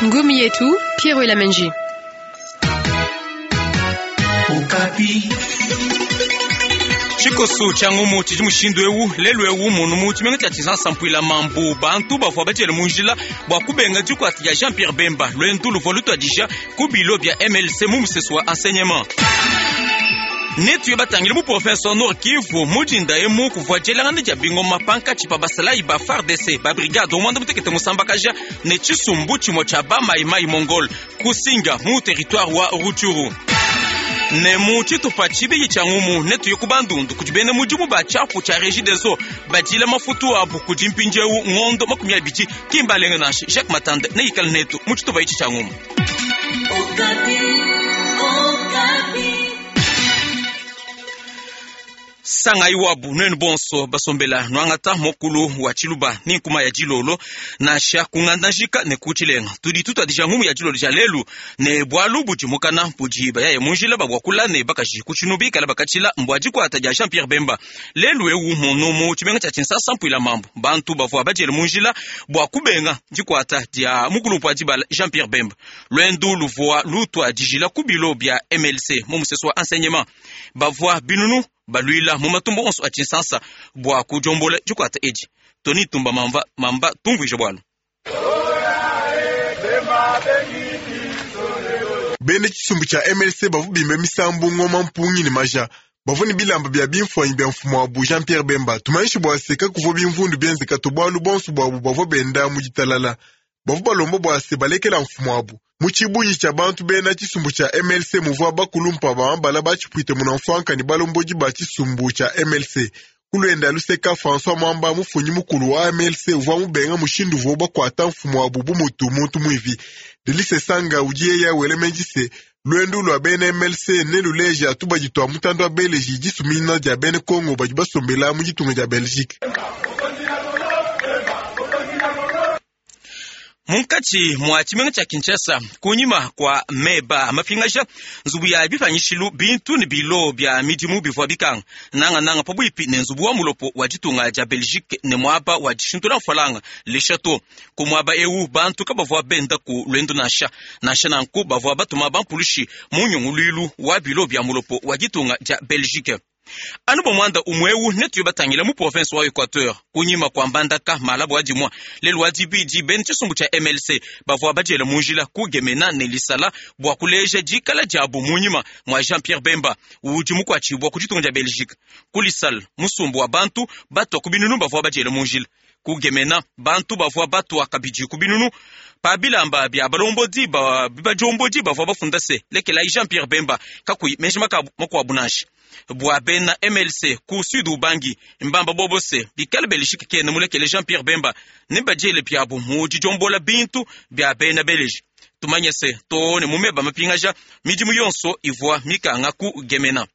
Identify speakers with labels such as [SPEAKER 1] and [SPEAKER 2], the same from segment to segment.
[SPEAKER 1] Ngumi yetu Pierre Elamenji.
[SPEAKER 2] Tshikoso tshia ngumu tshidi mushindu eu lelu eu munu mu tshimenga tshia Tshinsansa mpuila mambu bantu bavua badiele mu njila bua kubenga dikuata dia Jean Pierre Bemba. Luendu luvua lutuadija ku bilo bia MLC mu musesu wa enseignement. Netuye batangile mu province wa Nord Kivu mu dinda emu kuvua dielangana dia bingoma pankatshi pa basalayi ba FARDC ba brigade wa muanda mutekete musambakaja ne tshisumbu tshimue tshia ba Mai Mai Mongol kusinga mu territoire wa Rutshuru. Ne mu tshitupa tshibidi tshia ngumu netuye ku Bandundu kudi bena mudimu ba tshiapu tshia Regideso badila mafutu abu kudi mpindieu ngondo 20 ki mbalenge nansha. Jacques Matande neikale netu mu tshitupa etshi tshia ngumu. Sangayi wabu nuenu bonso basombela nuangata mokulu wa tshiluba ni nkuma ya dilolo nansha kungandajika ne kutshilenga. Tudi tutuadija ngumu ya dilolo dia lelu ne bualu budi mukana budi bayaye mu njila babwakula ne bakaji ku tshinu bikala bakatshila mbua dikuata dia Jean Pierre Bemba. Lelu eu munu mu tshimenga tshia Tshinsansa mpuila mambu bantu bavua badiele mu njila bua kubenga dikuata dia mukulupu wa dibala Jean Pierre Bemba. Luendu luvua lutuadijila ku bilo bia MLC mu musesu wa enseignement. Bavua binunu baluila mu matumbo onso a Tshinsansa bua kudiombola dikuata edi. Tony Tumba mamba, mamba tumvuije bualu.
[SPEAKER 3] Bena tshisumbu tshia MLC bavua bimba misambu, ngoma, mpungi ne maja. Bavua ne bilamba bia bimfuanyi bia mfumu wabu Jean Pierre Bemba. Tumanyishe bua se kakuvua bimvundu bienzeka to, bualu bonso buabu bavua benda mu ditalala. Bavua balomba bua se balekela mfumu wabu. Mu tshibungi tshia bantu bena tshisumbu tshia MLC muvua bakulumpa ba mabala batshipuite munamfuanka ne balombodi ba tshisumbu tshia MLC. Ku luenda luseka François Mwamba mufunyi mukulu wa MLC uvua mubenga mushindu uvua bakuata mfumu wabu bu mutu muntu muivi. Delice Sanga udi yeya wela meji se luendu lua bena MLC neluleja tubadi tua mutanda wa Beleji disumina dia bena Kongo badi basombela mu ditunga dia Belgique.
[SPEAKER 2] Munkatshi mua tshimenga tshia Kinshasa kunyima kua meba mapingaja nzubu ya bipanyishilu bintu ne bilo bia midimu bivua bikanga nangananga pabuipi ne nzubu wa mulopo wa ditunga dia Belgique ne muaba wa dishintula mfalanga Le Chateau. Ku muaba eu bantu kabavua benda ku luendu nansha nansha nanku bavua batuma bampulushi mu nyunguluilu wa bilo bia mulopo wa ditunga dia Belgique. Anu bua muanda umue eu netuye batangila mu province wa Equateur kunyima kua Mbandaka malabu wa dimua lelu wa dibidi bena tshisumbu tshia MLC bavua badiela mu njila ku Gemena ne Lisala bua kuleja dikala diabu munyima mua Jean Pierre Bemba udi mukuatshibua ku ditunga dia Belgique. Ku Lisala musumbu wa bantu batua ku binunu bavua badiela mu njila. Ku Gemena bantu bavua batua kabidi ku binunu pa bilamba bia balombodi ba bibadiombodi bavua bafunda se lekelayi Jean Pierre Bemba kakuyi meji makuabu nansha. Bua bena MLC ku Sud Ubangi mbamba bobose bikale Belgique kena mulekele Jean Pierre Bemba ne badiele biabu mu didiombola bintu bia bena Belgique. Tumanye se to ne mumeba mapingaja midimu yonso ivua mikanga ku Gemena.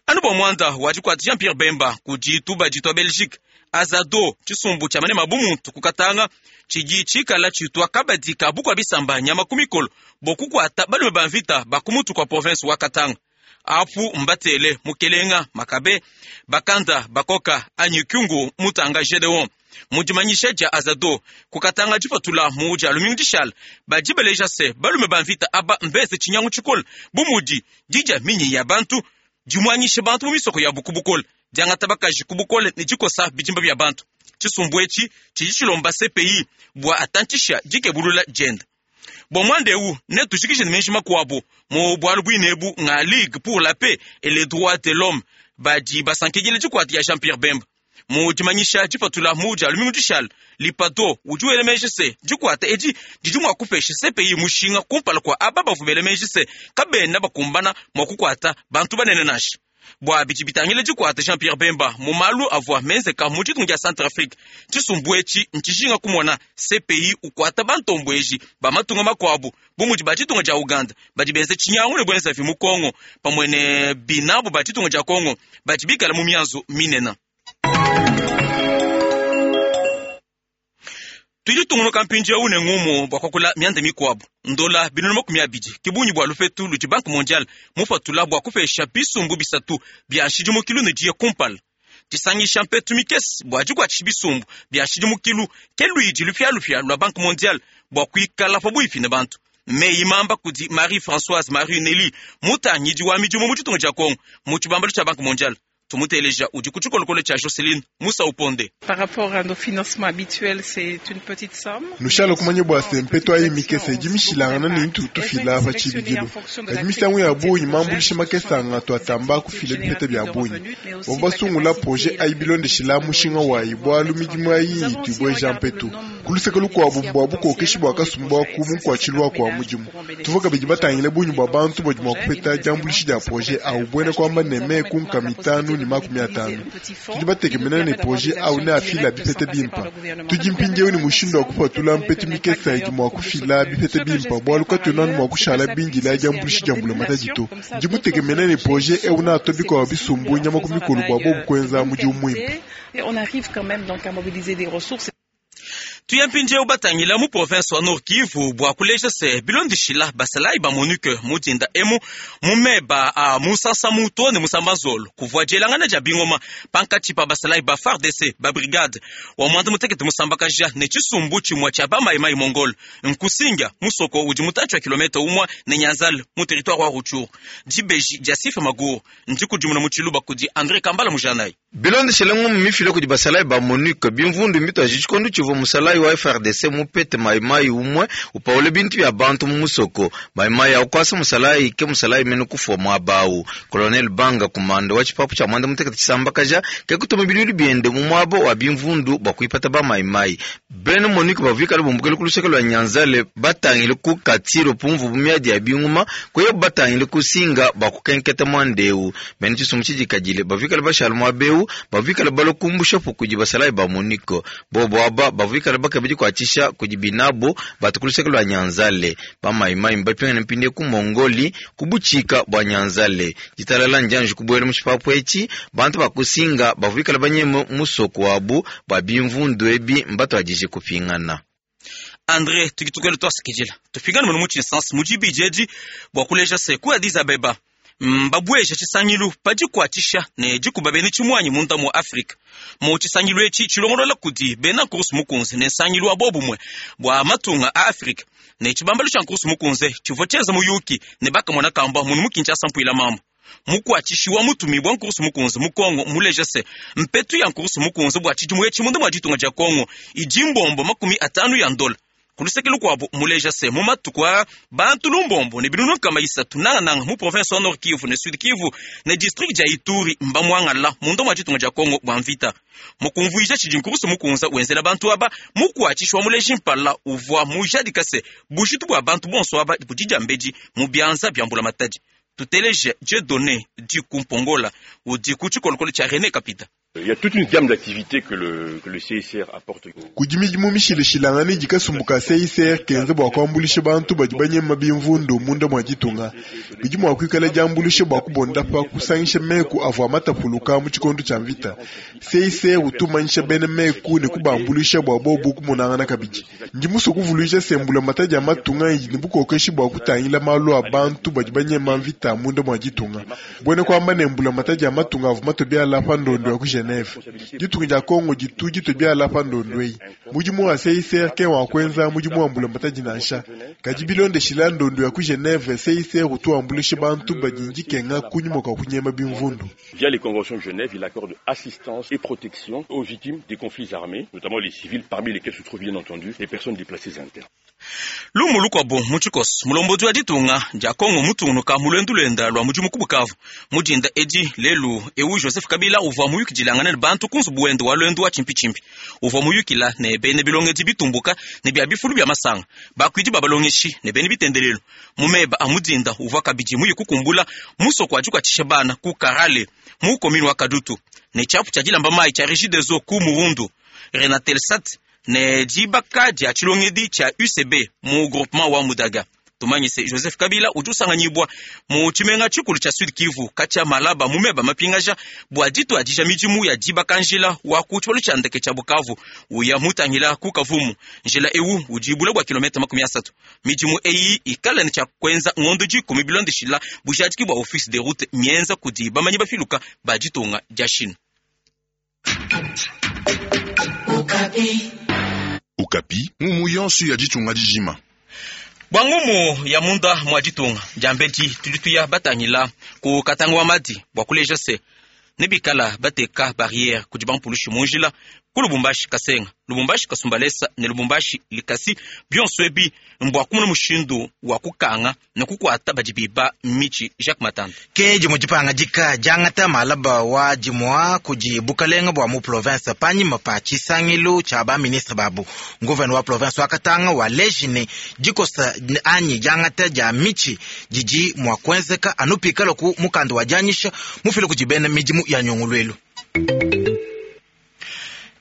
[SPEAKER 2] Anu bua muanda wa dikuata Jean Pierre Bemba kudi tubadi tua Belgique Azado tshisumbu tshia manema bumuntu kukatanga tshidi tshikala tshitwa kabadi ka bukua bisamba nyama ku mikolo bokukuata balume ba mvita ba ku mutu kua province wa Katanga. Apu mbatele mukelenga makabe bakanda bakoka anyi kyungu mutanga Gedeon mudimanyisha dia Azado kukatanga dipatula mu dia lumingu dishala badi baleja se balume ba mvita aba mbeze tshinyangu tshikole bu mudi didia minyi ya bantu dimuanyisha bantu mu misoko ya bukubukole diangata bakaji kubukole ne dikosa bidimba bia bantu. Tshisumbu etshi tshidi tshilomba CPI bua atantshisha dikebulula dienda. Bua muanda eu netujikije ne meji makuabu mu bualu buinebu nga Ligue pour la paix et les droits de l'homme badi basankidila dikuata ya Jean Pierre Bemba. Mu dimanyisha dipatula mu dia lumingu dishala lipado udi wela meji se dikuata edi didi mua kupesha CPI mushinga kumpala kua aba bavua bela meji se kabena bakumbana mua kukuata bantu banene nansha. Bua bidi bitangila dikuata Jean Pierre Bemba mu malu avua menzeka mu ditunga dia Centrafrique, tshisumbu etshi ntshishinga kumona CPI ukuata bantombueji ba matunga makuabu bu mudi ba ditunga dia Uganda badi benza tshinyangu ne buenzavi mu Kongo pamue ne binabu ba ditunga dia Kongo badi bikala mu mianzu minene. Tudi tungunuka mpindieu ne ngumu bua kuakula mianda mikuabu. Ndola binunu 20 ke bungi bua lupetu ludi Banque mondiale mupatula bua kupesha bisumbu bisatu bia nshidimukilu ne diya kumpala. Disangisha mpetu mikese bua dikuatshisha bisumbu bia nshidimukilu ke luidi lupialupia lua Banque mondiale bua kuikala pabuipi ne bantu. Meyi mamba kudi Marie Françoise Marie Nelly, mutangidi wa midimu mu ditunga dia Congo mu tshibambalu tshia Banque mondiale. Tumuteleja udi ku tshikolokolo tshia Joceline Musa Uponde.
[SPEAKER 4] Par rapport à nos financements habituels, c'est une petite somme.
[SPEAKER 3] Nushala kumanya bua se mpetu ayi mikese idi mishilangana ne itu tufila pa tshibidilu. Kadi misangu ya bungi mambuluisha makese anga tuatamba kufila bipeta bia bungi. Bavua basungula projet ayi bilondeshila mushinga wayi bualu midimu ayi itu ibueja mpetu. Ku luseke lukuabu bua bukokeshi bua kasumbu aku mu nkuatshilu waku wa mudimu. Tuvua kabidi batangile bungi bua bantu badi mua kupeta diambuluisha dia projet au buena kuamba ne meku nkama itanu ne makumi atanu. Tudi batekemena ne projet au neafila bipeta bimpa. Tudi mpindieu ne mushindu wa kupatula mpetu mikese idi mua kufila bipeta bimpa bualu katuena anu mua kushala bindila diambuluisha dia mbulamatadi to. Ndi mutekemena ne projet eu neatua bikuabu bisumbu nyama ku mikolo bua bobu kuenza mudimu muimpe.
[SPEAKER 4] On arrive quand même donc à mobiliser des ressources.
[SPEAKER 2] Tuya mpindieu batangila mu province wa Nord Kivu bua kuleja se bilondeshila basalayi ba MONUC mu dinda emu mu meba a musasa muto ne musamba nzolo kuvua dielangana dia bingoma pankatshi pa basalayi ba FARDC ba brigade wa mwanda mutekete musambakaja ne tshisumbu tshimue tshia ba Mai Mai Mongol nkusinga musoko udi mutantshi wa kilometa umue ne Nyanzale mu territoire wa Rutshuru. Dibeji dia Sifa Maguru ndikudimuna mu tshiluba kudi Andre Kambala Mujanayi.
[SPEAKER 5] Bilondeshele ngumu mifila kudi basalayi ba MONUC, bimvundu mbituaji tshikondo tshivua musalayi wa FARDC mupete mayimayi umue upaule bintu bia bantu mu musoko. Mayimayi akuasa musalayi ke musalayi mene kufua muaba awu. Colonel Banga, kumanda wa tshipapu tshia mwanda mutekete tshisambakaja, ke kutuma biluilu biende mu muaba wa bimvundu bua kuipata ba mayimayi. Bena MONUC bavua bumbukele ku luseke lua Nyanzale batangile ku Katiro pumvu bu miadi ya binguma, kuya batangile ku Singa bua kukenketa muanda eu. Bena tshisumbu tshidikadile bavua bashala muaba eu bavikala balokumbusha kudi basalayi ba MONUC. Bobo aba bavikala bakeba dikuatshisha kudi binabo batu ku luseke lua Nyanzale. Bamayimayi mbapingane mpinde ku Mongoli ku butshika bua Nyanzale. Ditalala ndianji kubuela mu tshipapu etshi, bantu bakusinga bavikala banyeme musoko wabu bua bimvundu ebi mbatuadije kupingana.
[SPEAKER 2] Andre tukitukelo twasikidila tupingane muno mu tshinsansi mu dibidi edi bua kuleja se ku Addis Abeba mbabueja tshisangilu pa dikuatshisha ne dikuba bena tshimuanyi munda mua Afrika. Mu tshisangilu etshi tshilongolola kudi bena nkurusu mukunze ne nsangilu wa bobumue bua matunga a Afrika ne tshibambalu tshia nkurusu mukunze tshivua tshienza muyuki ne bakamona kamba munu mu Kinshasa mpuila mambo. Mukuatshishi wa mutumi bwa nkurusu mukunze mu Kongo muleja se mpetu ya nkurusu mukunze bua tshidimu etshi munda mua ditunga dia Kongo idi mbombo 50 ya ndola. Ku luseke lukuabu muleja se mu matuku a bantu lumbombo ne binunu nkama isatu nangananga mu province wa Nord Kivu ne Sud Kivu ne district dia Ituri mbamwangala munda mua ditunga dia Kongo bua mvita. Mukumvuija tshidi nkurusu mukunza wenzela bantu aba mukuatshishi wa muleji mpala uvua mujadika se bujitu bua bantu bonso aba budi diambedi mu bianza bia mbula matadi. Tuteleje Dieudonné Dikumpongola udi ku tshikolokolo tshia René Kapita.
[SPEAKER 6] Il y a toute une gamme d'activités que le CICR apporte.
[SPEAKER 3] Kudi midimu mishilashilangane idi kasumbu ka CICR kenza bua kuambuluisha bantu badi banyema bimvundu munda mua ditunga. Bidi mua kuikala diambuluisha bua kubondapa kusangisha meku avua matapuluka mu tshikondo tshia mvita. CICR utumanyisha bena meku ne kubambuluisha bua bobu kumonangana kabidi. Ndi musue kuvuluija se mbulamatadi ya matunga idi ne bukokeshi bua kutangila malu a bantu badi banyema mvita munda mua ditunga. Buena kuamba ne mbulamatadi ya matunga avua matue biala pa ndondo ya ku Geneve. Ditunga dia Kongo ditu ditue biala pa ndondo eyi. Mudimu wa CICR ke wa kuenza mudimu wa mbulamatadi nansha. Kadi bilondeshila ndondo ya ku Geneve, CICR utu wambuluisha bantu badi ndikenga kunyima kua kunyema bimvundu.
[SPEAKER 6] Via les conventions de Genève, il accorde assistance et protection aux victimes des conflits armés, notamment les civils, parmi lesquels se trouvent bien entendu les personnes déplacées internes.
[SPEAKER 2] Lumu lukuabu mu tshikoso, mulombodi wa ditunga dia Kongo mutungunuka mu luendu luenda lua mudimu ku Bukavu mu dinda edi lelu ewu. Joseph Kabila uvua muyukidilangana ne bantu ku nzubu wende wa luendu wa tshimpitshimpi. Uvua muyukila ne bena bilongedi bitumbuka ne bia bifulu bia masanga, bakuidi ba balongeshi ne bena bitendelelu. Mu meba a mudinda uvua kabidi muyi kukumbula musoko wa dikuatshisha bana ku Karale mu commune wa Kadutu ne tshiapu tshia dilamba mayi tshia Regideso ku Murundu, Renatelsat ne dibaka dia tshilongedi tshia UCB mu groupement wa Mudaga. Tumanyise Joseph Kabila udi usanganyibwa mu tshimenga tshikulu tshia Sud Kivu katshia malaba mu meba mapingaja bua dituadija midimu ya dibaka njila wa ku tshibalu tshia ndeke tshia Bukavu uya mutangila ku Kavumu. Njila ewu udi bule bua kilomita 30. Midimu eyi ikala ne tshia kuenza ngondo 10 bilondeshila bujadiki bua office de route mienza kudi bamanyi bafiluka ba ditunga dia Chine.
[SPEAKER 7] Okapi, ngumu yonso ya ditunga dijima.
[SPEAKER 2] Bua ngumu ya munda mua ditunga diambedi, tudi tuya batangila ku Katanga wa Madi bua kuleja se nebikala bateka barriere kudi bampulushi mu njila ku Lubumbashi Kasenga, Lubumbashi Kasumbalesa ne Lubumbashi Likasi. Bionso ebi mbua kumona mushindu wa kukanga ne kukuata badi biba mitshi. Jacques Matanda.
[SPEAKER 8] Ke dimue dipangadika diangata malaba wa dimua kudi bukalenga bua mu province panyima pa tshisangilu tshia ba ministre babu. Nguvena wa province wa Katanga waleji ne dikosa anyi diangata dia mitshi didi mua kuenzeka anu pikala ku mukanda wa dianyisha mufila kudi bena midimu ya nyunguluilu.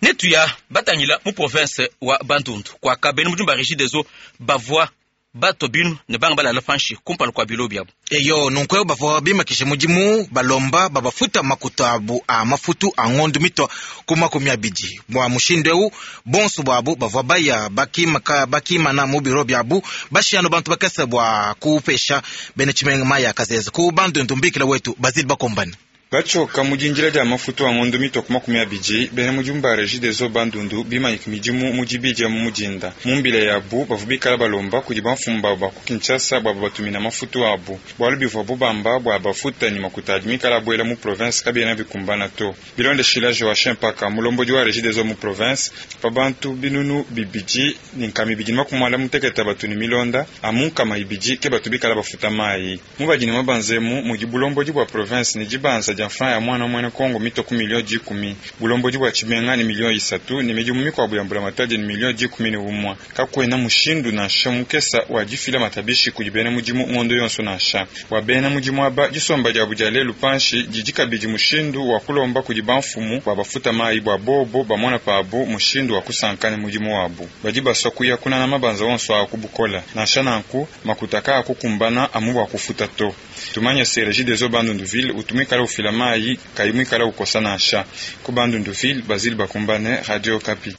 [SPEAKER 2] Netuya batangila mu province wa Bandundu kuaka bena mudimu ba Regideso bavua batua binu ne banga balala panshi kumpala kua bilo biabu.
[SPEAKER 8] Eyo, nunku eu bavua bimakisha mudimu balomba babafuta makuta abu a mafutu a ngondu mitua ku 20. Bua mushindu eu bonso buabu bavua baya bakimaka bakimana mu biro biabu bashiyanu bantu bakese bua kupesha bena tshimenga mayi a kazeze ku Bandundu. Mbikila wetu Bazili Bakombane.
[SPEAKER 9] Batshoka mu dindila dia mafutu a ngondo mitwa ku 20, bena mudimu ba Regideso Bandundu bimanyika midimu mu dibidi mu mudinda. Mu mbila yabu bavua bikala balomba kudi bamfumu babu ba ku Kinshasa bua babatumina mafutu abu, bualu bivuabu bamba bua bafuta ne makuta adi mikala abuela mu province kabiena bikumbana to. Bilondeshila Joachim Paka, mulombodi wa Regideso mu province, pa bantu 2,258 batu ne milonda, amu 200 ke batu bikala bafuta mayi. Mu badi ne mabanza emu mudi bulombodi bua province ne dibanza dia franc ya mwana mwene Kongo mitwa ku 10 millions, bulombodi bua tshimenga ne 3 millions ne midimu mikuabu ya mbulamatadi ne 11 millions. Kakuena mushindu nansha mukesa wa difila matabishi kudi bena mudimu ngondo yonso nansha. Bua bena mudimu aba, disomba diabu dia lelu panshi didi kabidi mushindu wa kulomba kudi bamfumu bua bafuta mayi bua bobo bamona pabu mushindu wa kusanka ne mudimu wabu. Badi basua kuya kunana mabanza onso a ku bukola, nansha nanku makuta kaakukumbana amu bua kufuta to. Tumanye se Regideso Bandundu-ville utu muikala ufila mayi kayi muikala ukosa nansha. Ku Bandundu-ville, Basile Bakumbane, Radio Okapi.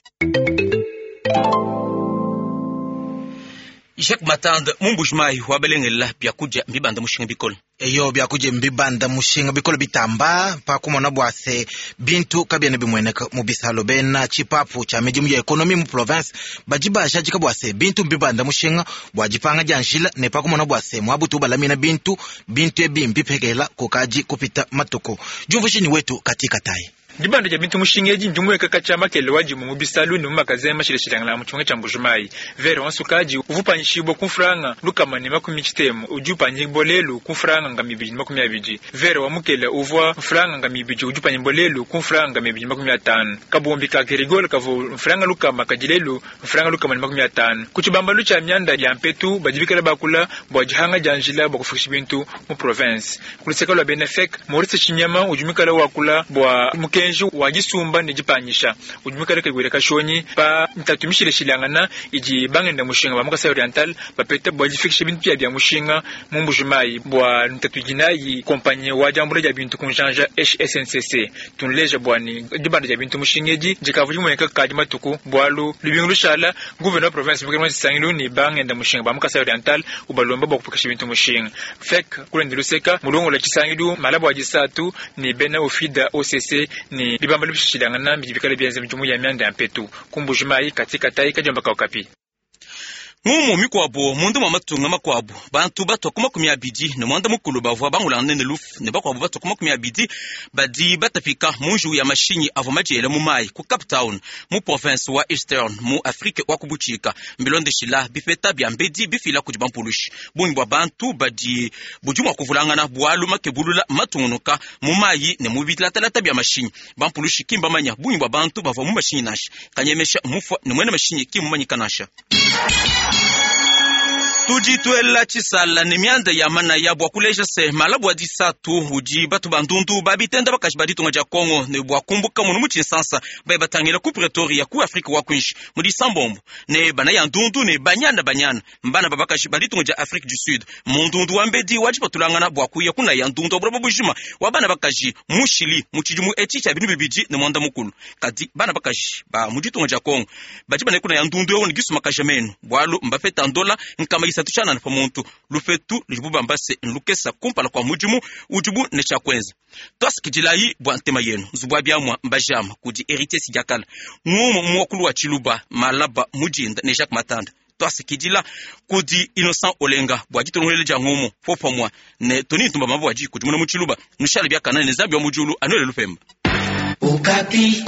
[SPEAKER 2] Jacques Matande, mu Mbuji-Mayi wa balengela biakudia mbibanda mushinga bikole.
[SPEAKER 8] Eyo, biakudia mbibanda mushinga bikole bitamba pa kumona bua se bintu kabiena bimueneka mu bisalo. Bena tshipapu tshia midimu ya ekonomi mu province badi bajadika bua se bintu mbibanda mushinga bua dipanga dia njila ne pa kumona bua se muabutu balamina bintu, bintu ebi mbipekela kukadi kupita matuku. Diumvushini wetu katika tai.
[SPEAKER 10] Dibanda dia bintu mushinga edi ndimueka katshia makele wa dimu mu bisalu ne mu makazen mashilashilangana mu tshimenga tshia Mbuji-Mayi. Vere wa nsukadi uvua upanyishibua ku mfranga 160 udi upanyibua lelu ku mfranga 220. Vere wa mukele uvua mfranga 200 udi upanyibua lelu ku mfranga 250. Kabombi ka Kerigol kavua mfranga 100 kadi lelu mfranga 150. Ku tshibambalu tshia mianda ya mpetu badi bikala bakula bua dihanga dia njila bua kufikisha bintu mu province. Ku luseke lua bena FEC, Maurice Chinyama udi muikala wakula bua mukenji wa disumba ne dipanyisha udi muikale kayiwela kashonyi pa ntatu mishilashilangana idi bangenda mushinga ba mu Kasai Oriental bapeta bua difikisha bintu bia bia mushinga mu Mbuji-Mayi bua ntatu idi nayi kompanyi wa diambula dia bintu ku njanja HSNCC. Tunleja bua ne dibanda dia bintu mushinga edi dikavua dimueneka kadi matuku, bualu lubingu lushala gouverneur wa province mukele wa tshisangilu ne bangenda mushinga ba mu Kasai Oriental ubalomba bua kupekesha bintu mushinga. FEC kulende luseka mulongola tshisangilu malabu wa disatu ne bena ofida OCC ne bibambalu bishilangana bidi bikale bienza midimu ya mianda ya mpetu ku Mbuji-Mayi. Katika tai kadiomba ka Okapi.
[SPEAKER 2] Ngumu mikuabo mundu mwa matunga makuabu, bantu batua ku 29 bavua bangulangane ne lufu ne bakuabu batua ku 20 badi batapika mu njiwu ya mashinyi avua madiela mu mayi ku Cape Town mu province wa Eastern mu Afrique wa kubutshika, mbilondeshila bipeta bia mbedi bifila kudi bampulushi. Bungi bua bantu badi budi mua kuvulangana bualu makebulula matungunuka mu mayi ne mu bilatalata bia mashinyi. Bampulushi ki mbamanya bungi bua bantu bavua mu mashinyi nansha. Kanyemesha mufua ne mwene mashinyi ki mumanyika nansha. Tudi tuela tshisala ne mianda ya manaya bua kuleja se malabu wa disatu udi batu bandundu babitenda bakaji ba ditunga dia Kongo ne bua kumbuka munu mu tshinsansa baye batangila ku Pretoria ku Afrika wa kuinshi mu disambombo ne bana ya ndundu ne banyana banyana mbana ba bakaji ba ditunga dia Afrique du Sud mu ndundu wa mbedi wa dipatulangana bua kuya kuna ya ndundu wa buloba bujima wa bana bakaji mu Chili mu tshidimu etshi tshia 2019. Kadi bana bakaji ba mu ditunga dia Kongo badi bana kuna ya ndundu eu ne gisumakaja menu bualu mbapeta ndola nkama isatu tshianana pa muntu, lupetu ludibu bamba se nlukesa kumpala kua mudimu udibu ne tshia kuenza. Tuasakidilayi bua ntema yenu. Nzubu wa biamua mbajama kudi Heritier Sidiakala, ngumu mu muakulu wa Tshiluba, malaba mudinda ne Jacques Matanda. Tuasakidila kudi Innocent Olenga bua ditulongoluela dia ngumu popamua ne Tony Ntumba Mabua di kudimuna mu Tshiluba. Nushale biakana ne Nzambi wa mu diulu anuele lupemba.
[SPEAKER 11] Okapi.